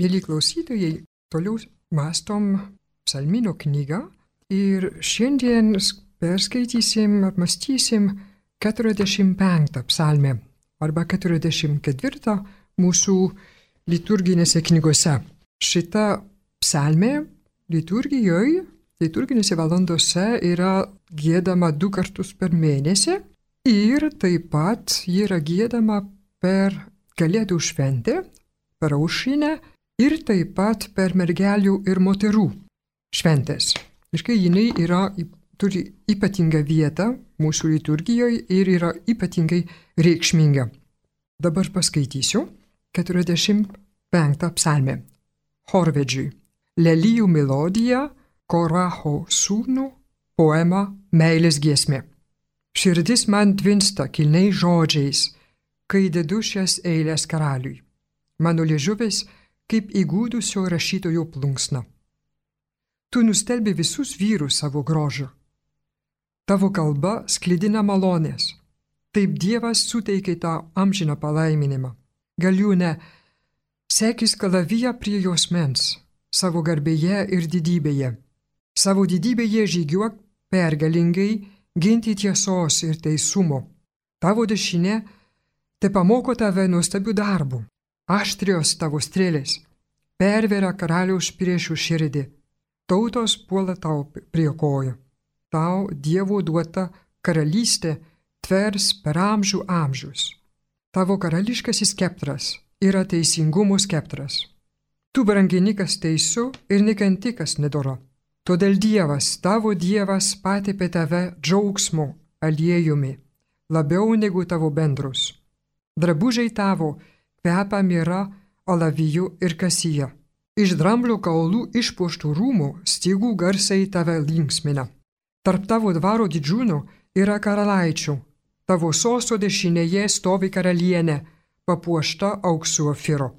Mėly klausytojai, toliau mąstom psalmino knygą ir šiandien perskaitysim, apmąstysim 45 psalmę arba 44 mūsų liturginėse knygose. Šita psalmė liturginėse valandose yra giedama 2 kartus per mėnesį ir taip pat ji yra giedama per Kalėdų šventę, per aušrinę ir taip pat per mergelių ir moterų šventės. Iškai jinai turi ypatingą vietą mūsų liturgijoje ir yra ypatingai reikšminga. Dabar paskaitysiu 45 psalmę. Chorvedžiui. Lelijų melodija, Koracho sūnų, poema Meilės giesmė. Širdis man tvinsta kilniais žodžiais, kai dedu šias eilės karaliui. Mano liežuvis kaip įgūdusio rašytojo plunksna. Tu nustelbi visus vyrus savo grožiu. Tavo kalba sklidina malonės. Taip Dievas suteikė tau amžiną palaiminimą. Galiūne, sekis kalaviją prie jos mens, savo garbėje ir didybėje. Savo didybėje žygiuok pergalingai ginti tiesos ir teisumo. Tavo dešinė te pamoko tave nuostabių darbų. Aštrios tavo strėlės perveria karaliaus priešų širdį. Tautos puola tau prie kojų. Tau Dievo duota karalystė tvers per amžių amžius. Tavo karališkasis skeptras yra teisingumo skeptras. Tu brangini kas teisų ir nekanti kas nedora. Todėl Dievas, tavo Dievas patepė tave džiaugsmo aliejumi, labiau negu tavo bendrus. Drabužiai tavo kvepia mira, alaviju ir kasija. Iš dramblio kaulų išpuoštų rūmų stygų garsai tave linksmina. Tarp tavo dvaro didžiūnų yra karalaičių. Tavo sosto dešinėje stovi karalienė, papuošta auksu ofiro.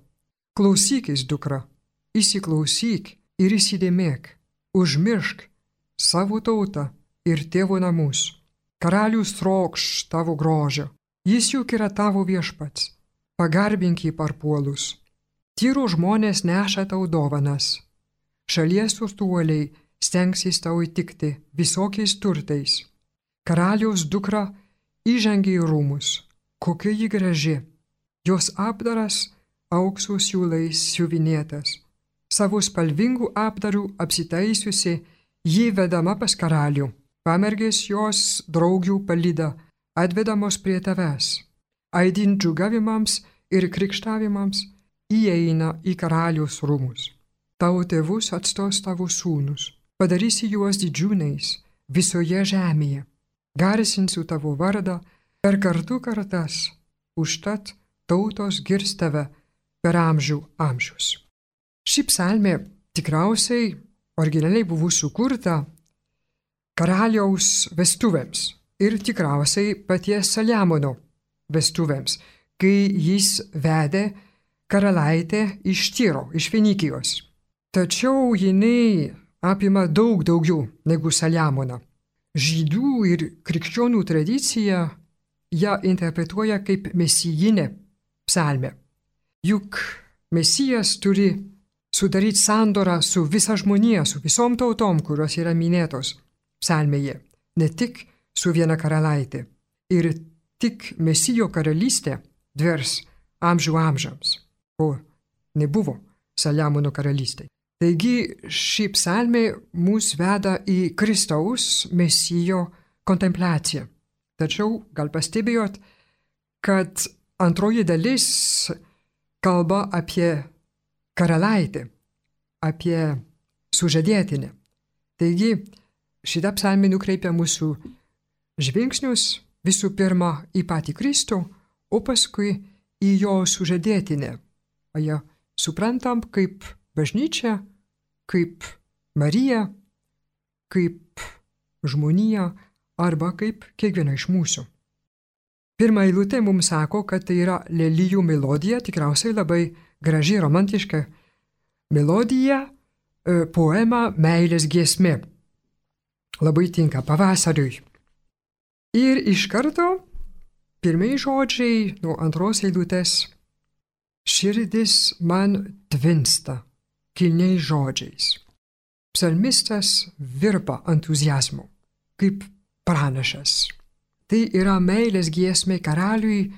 Klausykis, dukra, įsiklausyk ir įsidėmėk. Užmiršk savo tautą ir tėvo namus. Karalius trokš tavo grožio. Jis juk yra tavo viešpats. Pagarbink jį parpuolus. Tyro žmonės neša tau dovanas. Šalies turtuoliai stengsis tau įtikti visokiais turtais. Karaliaus dukra įžengė į rūmus. Kokia ji graži. Jos apdaras aukso siūlais siuvinėtas. Savo spalvingų apdarų apsitaisiusi, ji vedama pas karalių. Pamergės jos draugių palyda, atvedamos prie tavęs. Aidint džiūgavimams ir krikštavimams įeina į karaliaus rūmus. Tavo tėvus atstos tavo sūnus, padarysi juos didžiūnais visoje žemėje. Garsinsiu tavo vardą per kartų kartas, užtat tautos girs tave per amžių amžius. Ši psalmė tikriausiai originaliai buvo sukurta karaliaus vestuvėms ir tikriausiai paties Saliamono vestuvėms, kai jis vedė karalaitę iš Tyro, iš Fenikijos. Tačiau jinai apima daug daugiau negu Saliamoną. Žydų ir krikščionių tradicija ją interpretuoja kaip mesijinė psalmė. Juk Mesijas turi sudaryti sandorą su visa žmonija, su visom tautom, kurios yra minėtos psalmėje, ne tik su viena karalaitė. Ir tik Mesijo karalystė tvers amžių amžiams, ko nebuvo Saliamono karalystė. Taigi ši psalmė mus veda į Kristaus Mesijo kontempliaciją. Tačiau gal pastebėjot, kad antroji dalis kalba apie karalaitę, apie sužadėtinę. Taigi šita psalmė nukreipia mūsų žvilgsnius visų pirma į patį Kristų, o paskui į jo sužadėtinę. O ją suprantam kaip bažnyčia, kaip Marija, kaip žmonija arba kaip kiekviena iš mūsų. Pirma eilutė mums sako, kad tai yra lelijų melodija, tikriausiai labai graži, romantiška melodija, poema Meilės giesmė. Labai tinka pavasariui. Ir iš karto pirmieji žodžiai nuo antros eilutės Širdis man tvinsta kilniais žodžiais. Psalmistas virpa entuzijazmu, kaip pranašas. Tai yra meilės giesmė karaliui,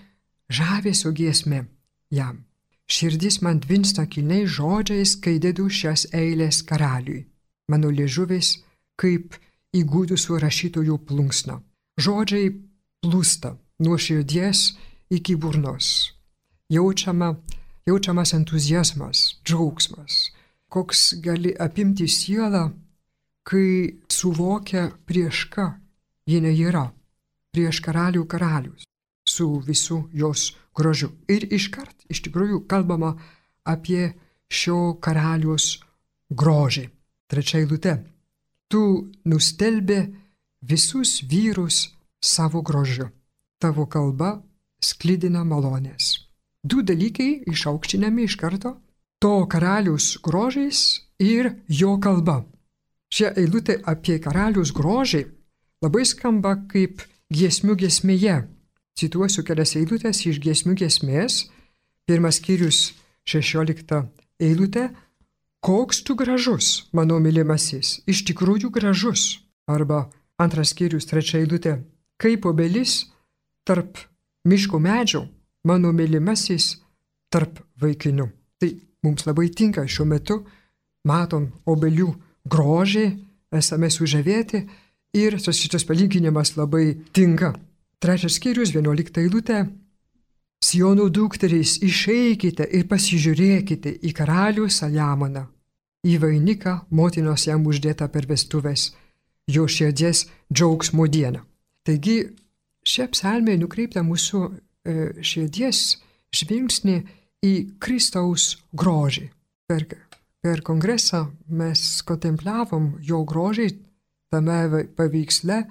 žavesio giesmė jam. Širdis man tvinsta kilniais žodžiais, kai dedu šias eilės karaliui. Mano liežuvis kaip įgudusių rašytojų plunksna. Žodžiai plūsta nuo širdies iki burnos. Jaučiamas entuzijazmas, džiaugsmas, koks gali apimti sielą, kai suvokia prieš ką jinai yra, prieš karalių karalius, su visu jos grožiu. Ir iškart iš tikrųjų kalbama apie šio karalius grožį. 3 eilutė. Tu nustelbi visus vyrus savo grožiu. Tavo kalba sklidina malonės. 2 dalykai išaukštinami iš karto. To karalius grožis ir jo kalba. Šia eilutė apie karalius grožį labai skamba kaip giesmių giesmėje. Cituosiu kelias eilutės iš giesmių giesmės. 1 skyrius 16 eilutė. Koks tu gražus, mano mylimasis, iš tikrųjų gražus. Arba 2 skyrius 3 eilutė. Kaip obelis tarp miško medžių, mano mylimasis tarp vaikinių. Tai mums labai tinka šiuo metu, matom obelių grožį, esame sužavėti ir šitas palyginimas labai tinka. 3 skyrius 11 eilutė. Siono dukterys, išeikite ir pasižiūrėkite į karalių Saliamoną, į vainiką motinos jam uždėtą per vestuves, jo širdies džiaugsmo dieną. Taigi, šia psalmė nukreipta mūsų širdies žvilgsnį į Kristaus grožį. Per kongresą mes kontempliavom jo grožį tame paveiksle,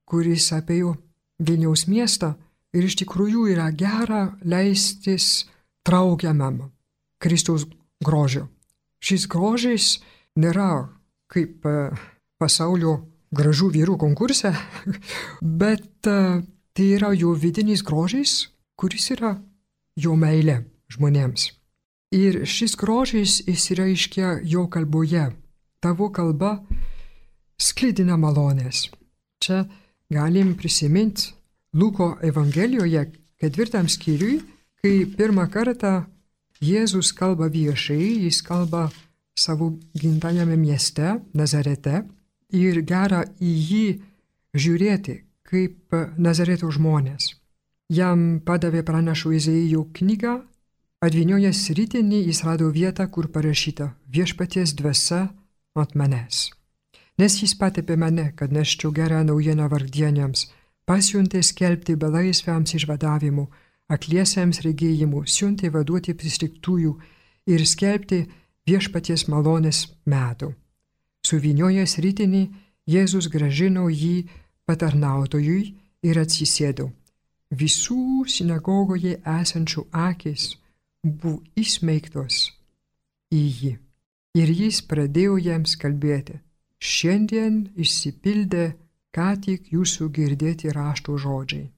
kuris apėjo Vilniaus miestą ir iš tikrųjų yra gera leistis traukiamam Kristaus grožio. Šis grožis nėra kaip pasaulio gražių vyrų konkurse, bet tai yra jo vidinis grožis, kuris yra jo meilė žmonėms. Ir šis grožis išsireiškia jo kalboje. Tavo kalba sklidina malonės. Čia galim prisiminti Luko Evangelijoje 4 skyriui, kai pirmą kartą Jėzus kalba viešai, jis kalba savo gimtajame mieste, Nazarete, ir gera į jį žiūrėti kaip Nazareto žmonės. Jam padavė pranašo Izaijo knygą, atvyniojęs ritinį jis rado vietą, kur parašyta viešpaties dvasia ant manęs. Nes jis patepė mane, kad neščiau gerą naujieną vargdieniams, pasiuntė skelbti belaisviams išvadavimu, akliesiems regėjimu, siuntė vaduoti pristiktųjų ir skelbti viešpaties malonės metų. Suvyniojęs ritinį, Jėzus gražino jį patarnautojui ir atsisėdo. Visų sinagogoje esančių akys buvo įsmeigtos į jį. Ir jis pradėjo jiems kalbėti. Šiandien išsipildė ką tik jūsų girdėti rašto žodžiai.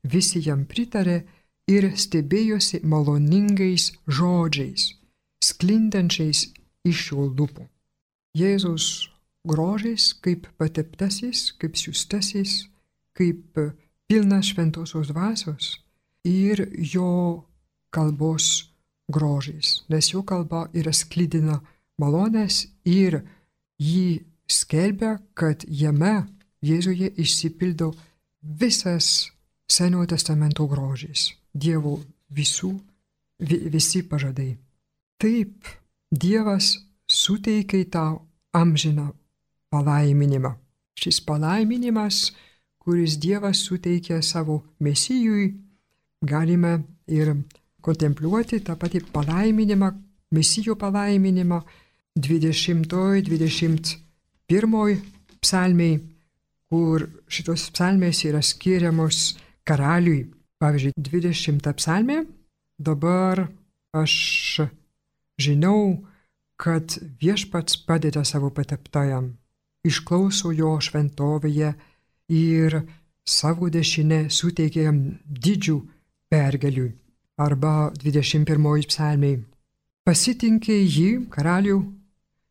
Visi jam pritarė ir stebėjosi maloningais žodžiais, sklindančiais iš jo lūpų. Jėzus grožis kaip pateptasis, kaip siųstasis, kaip pilnas šventosios dvasios ir jo kalbos grožis, nes jo kalba yra sklidina malonės ir jį skelbia, kad jame Jėzuje išsipildo visas Senojo testamento grožis, Dievo visi pažadai. Taip, Dievas suteikia tau amžiną palaiminimą. Šis palaiminimas, kuris Dievas suteikia savo Mesijui, galime ir kontempliuoti tą patį palaiminimą, Mesijo palaiminimą 20-21 psalmiai, kur šitos psalmės yra skiriamos karaliui. Pavyzdžiui, 20 psalmė, dabar aš žinau, kad viešpats padeda savo pateptajam, išklauso jo šventovėje ir savo dešinę suteikia jam didžių pergalių. arba 21 psalmiai. Pasitinkė jį, karalių,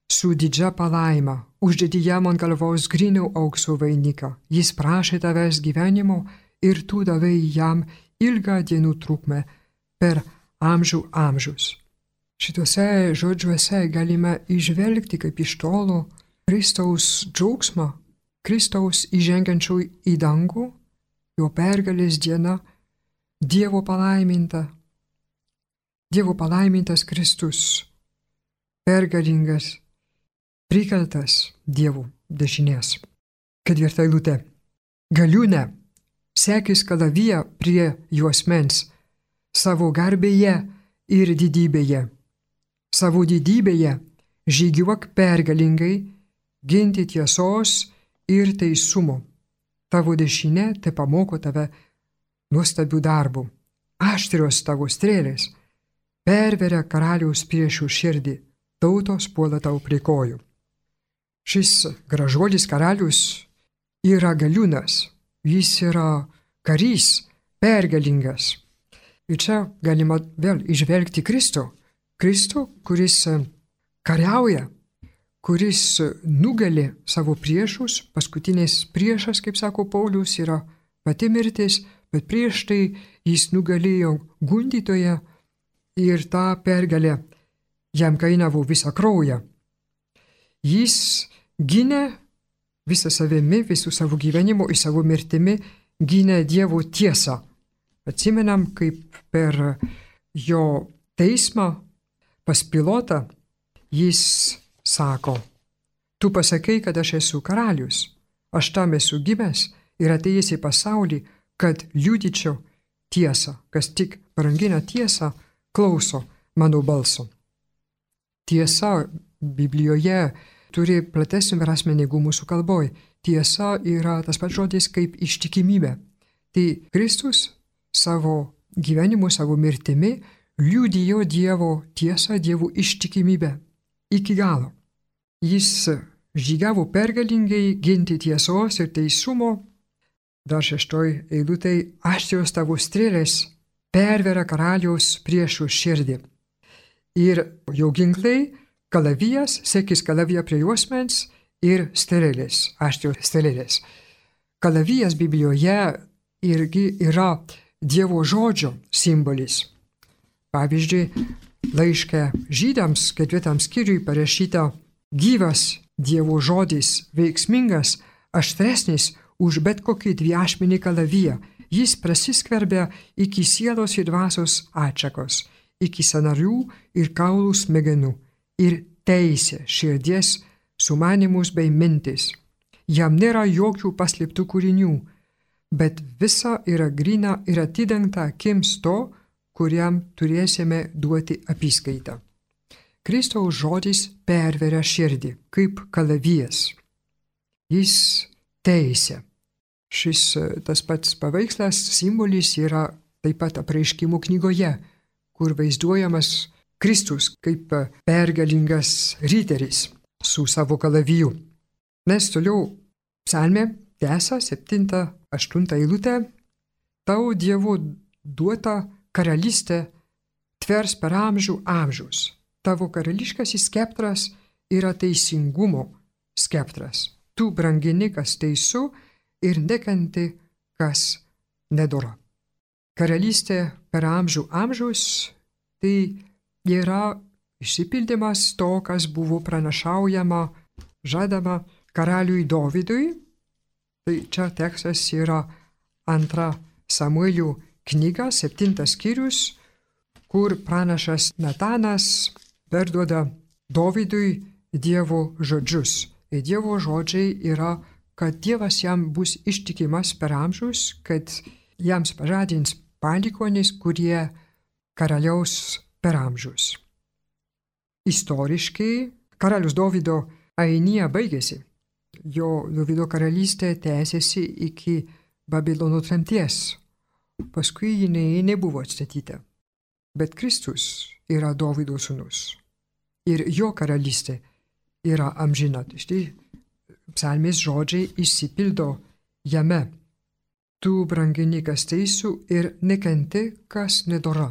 su didžia palaima, uždėdi jam ant galvos grynių aukso vainiką. Jis prašė tavęs gyvenimo ir tu davai jam ilgą dienų trukmę per amžių amžius. Šituose žodžiuose galime įžvelgti kaip iš tolo Kristaus džiaugsmą, Kristaus įžengiančių į dangų, jo pergalės diena, Dievo palaimintas Kristus, pergalingas, prikeltas Dievo dešinės. 4 eilutė. Galiūne, sekis kalaviją prie juosmens, savo garbėje ir didybėje. Savo didybėje žygiuok pergalingai, ginti tiesos ir teisumo. Tavo dešinė te pamoko tave nuostabių darbų. Aštrios tavo strėlės perveria karaliaus priešų širdį, tautos puola tau prie kojų. Šis gražuolis karalius yra galiūnas, jis yra karys, pergalingas. Ir čia galima vėl įžvelgti Kristų, kuris kariauja, kuris nugali savo priešus. Paskutinis priešas, kaip sako Paulius, yra pati mirtis, bet prieš tai jis nugalėjo gundytoją ir tą pergalę jam kainavo visą kraują. Jis gynė visą savimi, visų savo gyvenimu ir savo mirtimi gynė Dievo tiesą. Atsimenam, kaip per jo teismą pas Pilotą jis sako, tu pasakai, kad aš esu karalius, aš tam esu gimęs ir atėjęs į pasaulį, kad liudyčiau tiesą, kas tik brangina tiesą, klauso mano balso. Tiesa Biblijoje turi platesnį prasmenį negu mūsų kalboje. Tiesa yra tas pats žodis kaip ištikimybė. Tai Kristus savo gyvenimu, savo mirtimi liudijo Dievo tiesą, Dievo ištikimybę iki galo. Jis žygiavo pergalingai ginti tiesos ir teisumo. Dar 6 eilutėj, aštrios tavo strėlės perveria karaliaus priešų širdį. Ir jo ginklai, kalavijas, sekis kalaviją prie juosmens ir strėlės, aštrios strėlės. Kalavijas Biblijoje irgi yra Dievo žodžio simbolis. Pavyzdžiui, laiške Žydams 4 skyriui parašyta gyvas Dievo žodis, veiksmingas, aštresnis už bet kokį dviašmenį kalaviją. Jis prasiskverbia iki sielos ir dvasios atšakos, iki sąnarių ir kaulų smegenų ir teisė širdies sumanymus bei mintis. Jam nėra jokių paslėptų kūrinių, bet visa yra gryna ir atidengta akims to, kuriam turėsime duoti apyskaitą. Kristaus žodis perveria širdį kaip kalavijas. Jis teisė. Šis tas pats paveikslas, simbolis yra taip pat Apreiškimų knygoje, kur vaizduojamas Kristus kaip pergalingas riteris su savo kalaviju. Nes toliau psalmė tęsia 7-8 eilutę. Tau Dievo duota karalystė tvers per amžių amžius. Tavo karališkasis skeptras yra teisingumo skeptras. Tu brangini, kas teisų ir nekenti, kas nedora. Karalystė per amžių amžius tai yra išsipildymas to, kas buvo pranašaujama, žadama karaliui Dovydui. Tai čia tekstas yra 2 Samuelio knyga, 7 skyrius, kur pranašas Natanas perduoda Dovydui Dievo žodžius. Ir Dievo žodžiai yra, kad Dievas jam bus ištikimas per amžius, kad jiems pažadins palikuonis, kurie karaliaus per amžius. Istoriškai karalius Dovydo ainija baigėsi. Jo Dovydo karalystė tęsėsi iki Babilono tremties. Paskui jinai nebuvo atstatyta. Bet Kristus yra Dovydo sūnus. Ir jo karalystė yra amžina. Štai psalmės žodžiai išsipildo jame. Tu brangini, kas teisų ir nekenti, kas nedora.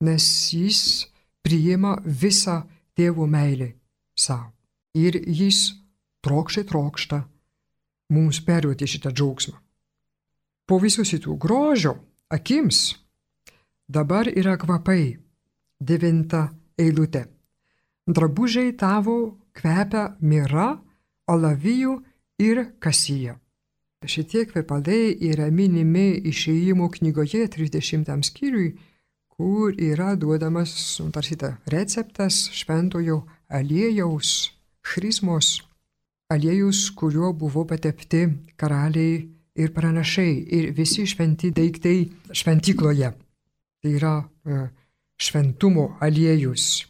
nes jis priima visą tėvo meilę savo. Ir jis trokšta mums perduoti šitą džiaugsmą. Po visų šitų grožio akims dabar yra kvapai. 9 eilutė. Drabužiai tavo kvepia mira, alavijų ir kasija. Šitie kvepalai yra minimi Išėjimo knygoje 30 skyriui, kur yra duodamas tarsi receptas šventojo aliejaus, chrismos aliejus, kuriuo buvo patepti karaliai ir pranašai ir visi šventi daiktai šventykloje. Tai yra šventumo aliejus.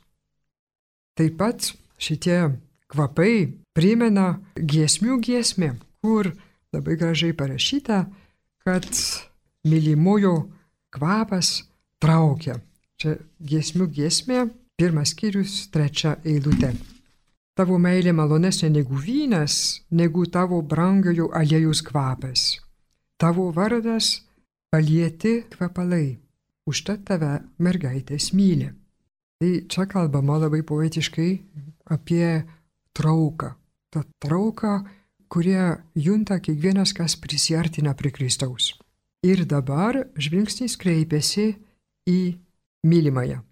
Taip pat šitie kvapai primena giesmių giesmę, kur labai gražiai parašyta, kad mylimojo kvapas traukia. Čia giesmių giesmė, 1 skyrius, 3 eilutė. Tavo meilė malonesnė negu vynas, negu tavo brangiojo aliejaus kvapas. Tavo vardas palieti kvapalai. Užtat tave mergaitės myli. Tai čia kalbama labai poetiškai apie trauką. Ta trauka, kurie junta kiekvienas, kas prisiartina prie Kristaus. Ir dabar žvilgsnis kreipiasi į mylimąją.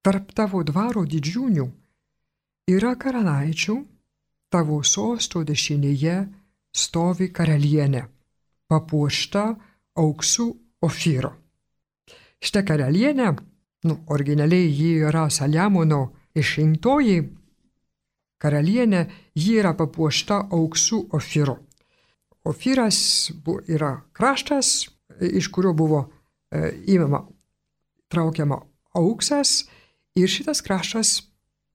Tarp tavo dvaro didžiūnių yra karalaičių, tavo sosto dešinėje stovi karalienė, papuošta auksu Ofyro. Šitą karalienę, originaliai ji yra Saliamono išrinktoji karalienė, ji yra papuošta auksu Ofyro. Ofyras yra kraštas, iš kurio buvo traukiama auksas, ir šitas kraštas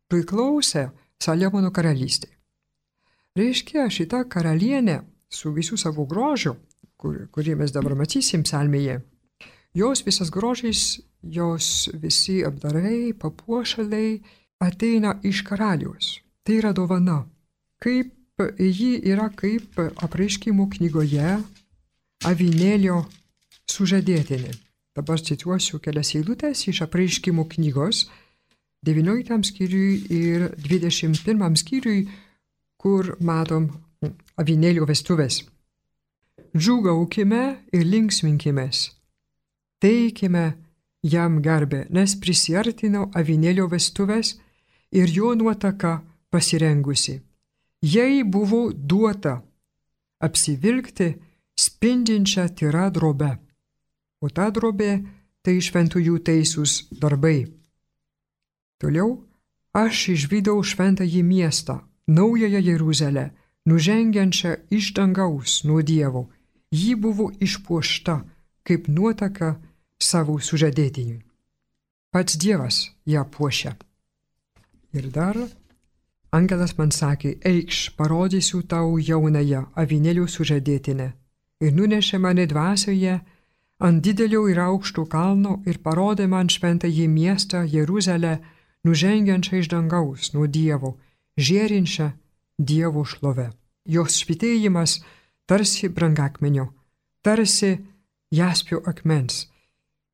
priklausė Saliamono karalystei. Reiškia, šita karalienė su visų savo grožiu, kurį mes dabar matysim psalmėje, jos visas grožis, jos visi apdarai, papuošalai ateina iš karaliaus. Tai yra dovana. Ji yra kaip Apreiškimo knygoje avinėlio sužadėtinė. Dabar cituosiu kelias eilutes iš Apreiškimo knygos 19 skyriui ir 21 skyriui, kur matom avinėlio vestuvės. Džiūgaukime ir linksminkimės. Teikime jam garbę, nes prisiartino avinėlio vestuvės ir jo nuotaka pasirengusi. Jai buvo duota apsivilkti spindinčią tyrą drobę, o ta drobė tai šventųjų teisūs darbai. Toliau aš išvydau šventąjį miestą, naująją Jeruzalę, nužengiančią iš dangaus nuo Dievo. Ji buvo išpuošta kaip nuotaka savo sužadėtiniui. Pats Dievas ją puošia. Ir dar angelas man sakė, eikš, parodysiu tau jaunąją avinėlio sužadėtinę. Ir nunešė mane dvasioje ant didelio ir aukšto kalno ir parodė man šventąjį miestą Jeruzalę, nužengiančią iš dangaus nuo Dievo, žėrinčią Dievo šlove. Jos švytėjimas tarsi brangakmenio, tarsi jaspio akmens,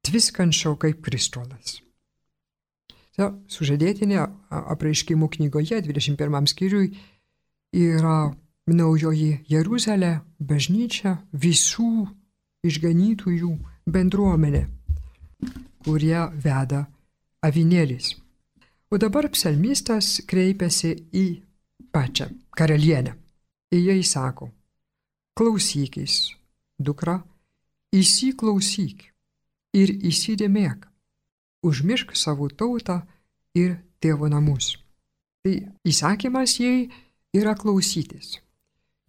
tviskančio kaip kristolas. Sužadėtinė Apreiškimo knygoje 21 skyriui yra naujoji Jeruzalė, bažnyčia, visų išganytųjų bendruomenė, kurie veda avinėlis. O dabar psalmistas kreipiasi į pačią karalienę. Ir jai sako, klausykis, dukra, įsiklausyk ir įsidėmėk, užmiršk savo tautą ir tėvo namus. Tai įsakymas jai yra klausytis.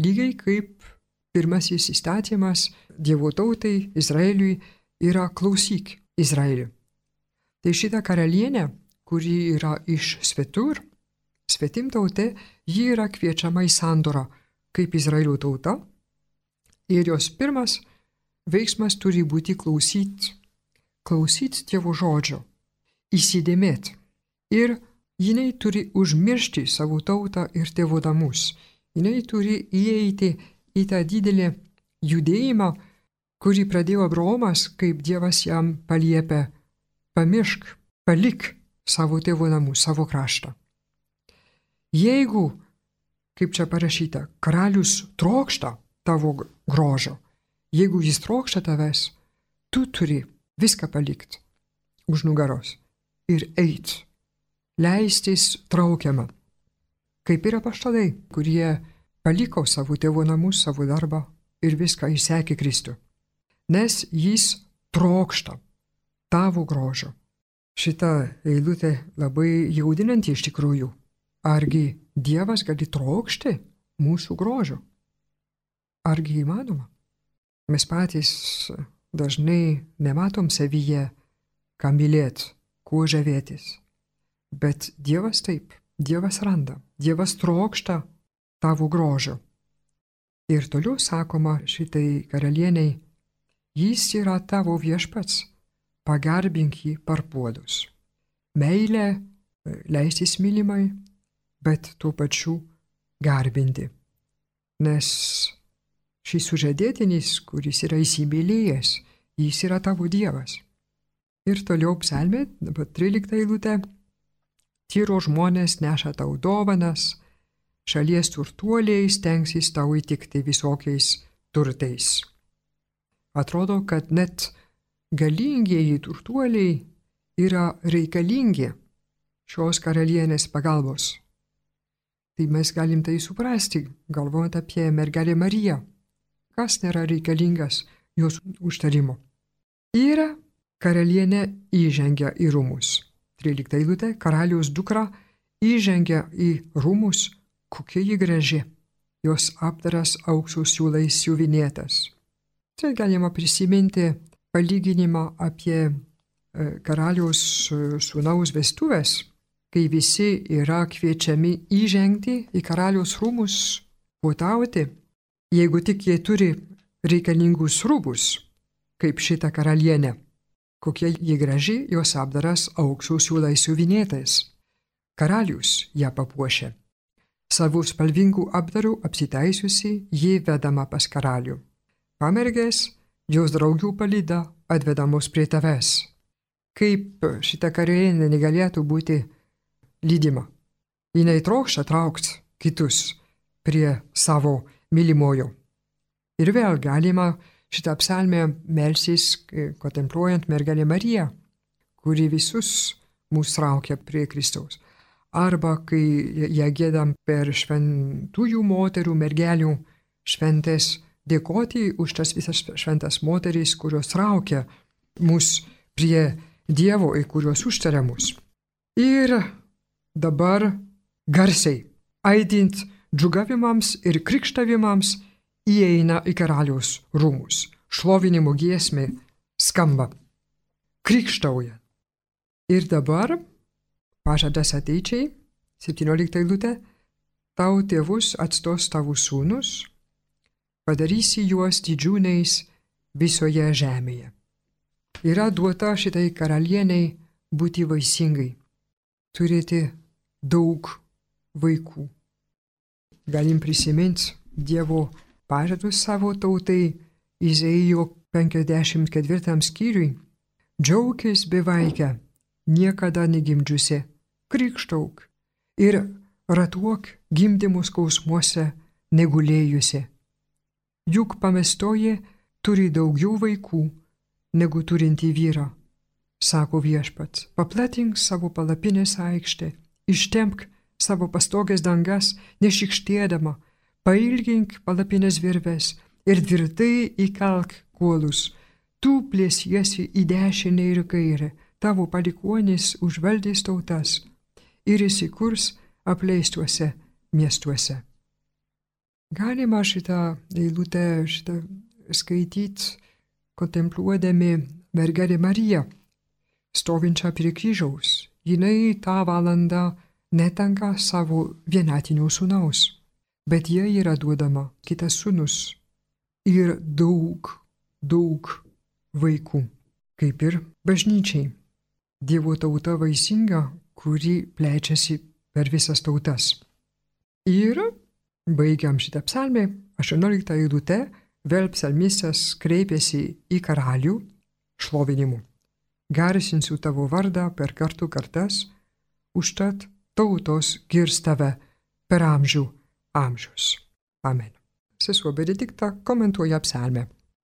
Lygiai kaip pirmasis įstatymas Dievo tautai Izraeliui yra klausyk Izraeliui. Tai šita karalienė, kuri yra iš svetur, svetimtautė, ji yra kviečiama į sandorą kaip Izraelio tauta ir jos pirmas veiksmas turi būti klausyti Dievo žodžio, įsidėmėti. Ir jinai turi užmiršti savo tautą ir tėvo namus. Jinai turi įeiti į tą didelį judėjimą, kurį pradėjo Abraomas, kaip Dievas jam paliepė pamiršk, palik savo tėvo namus, savo kraštą. Jeigu, kaip čia parašyta, karalius trokšta tavo grožio, jeigu jis trokšta tavęs, tu turi viską palikti už nugaros ir eit, leistis traukiama. Kaip yra apaštalai, kurie paliko savo tėvo namus, savo darbą ir viską įsekė Kristų. Nes jis trokšta tavo grožio. Šita eilutė labai jaudinanti iš tikrųjų. Argi Dievas gali trokšti mūsų grožio? Argi įmanoma? Mes patys dažnai nematom savyje, ką mylėt, kuo žavėtis. Bet Dievas taip, Dievas randa, Dievas trokšta tavo grožio. Ir toliau sakoma šitai karalieniai, jis yra tavo viešpats, pagarbink jį parpuodus. Meilė leistis mylimai, bet tuo pačiu garbinti. Nes šis sužadėtinis, kuris yra įsimylėjęs, jis yra tavo Dievas. Ir toliau psalmė, dabar 13 eilutė, tyro žmonės neša tau dovanas, šalies turtuoliai stengsis tau įtikti visokiais turtais. Atrodo, kad net galingieji turtuoliai yra reikalingi šios karalienės pagalbos. Tai mes galim tai suprasti, galvojant apie mergelę Mariją. Kas nėra reikalingas jos užtarimo? Ir karalienė įžengia į rūmus. 13 eilutė, karaliaus dukra įžengia į rūmus, kokia ji graži. Jos apdaras aukso siūlais siuvinėtas. Tai galima prisiminti palyginimą apie karaliaus sūnaus vestuvės, kai visi yra kviečiami įžengti į karaliaus rūmus, puotauti, jeigu tik jie turi reikalingus rūbus, kaip šita karalienė. Kokia ji graži, jos apdaras aukso siūlais siuvinėtais. Karalius ją papuošė. Savų spalvingų apdarų apsitaisiusi, ji vedama pas karalių. Pamergės, jos draugių palyda atvedamos prie tavęs. Kaip šita karalienė negalėtų būti lydima? Jinai trokšta traukti kitus prie savo mylimojo. Ir vėl galima šitą psalmę melsis, kontempluojant mergelę Mariją, kuri visus mus traukia prie Kristaus. Arba kai ją giedam per šventųjų moterų, mergelių šventės, dėkoti už tas visas šventas moteris, kurios traukia mus prie Dievo ir kurios užtaria mus. Ir dabar garsiai, aidint džiūgavimams ir krikštavimams, įeina į karaliaus rūmus. Šlovinimo giesmė skamba. Krikštauja. Ir dabar pažadas ateičiai, 17 eilutė, tau tėvus atstos tavo sūnus, padarysi juos didžiūniais visoje žemėje. Yra duota šitai karalieniai būti vaisingai, turėti daug vaikų. Galim prisiminti Dievo pažadus savo tautai Izaijo 54 skyriui. Džiaukis bevaikę, niekada negimdžiusi, krikštauk ir ratuok gimdymo skausmuose negulėjusi. Juk pamestoji turi daugiau vaikų negu turinti vyrą, sako viešpats. Paplatink savo palapinės aikštę, ištempk savo pastogės dangas, nešikštėdama, pailgink palapinės virves ir tvirtai įkalk kuolus. Tu plėsiesi į dešinę ir kairę, tavo palikuonis užvaldys tautas ir įsikurs apleistuose miestuose. Galima šitą eilutę skaityti, kontempluodami mergelę Mariją, stovinčią prie kryžiaus. Jinai tą valandą netenka savo vienatinio sūnaus, bet jai yra duodama kitas sūnus ir daug vaikų, kaip ir bažnyčiai. Dievo tauta vaisinga, kuri plečiasi per visas tautas. Ir baigiam šitą psalmę, 18 eilutę, vėl psalmistas kreipėsi į karalių šlovinimu. garsinsiu tavo vardą per kartų kartas, užtat tautos girs tave per amžių amžius. Amen. Sesuo Benedikta komentuoja psalmę.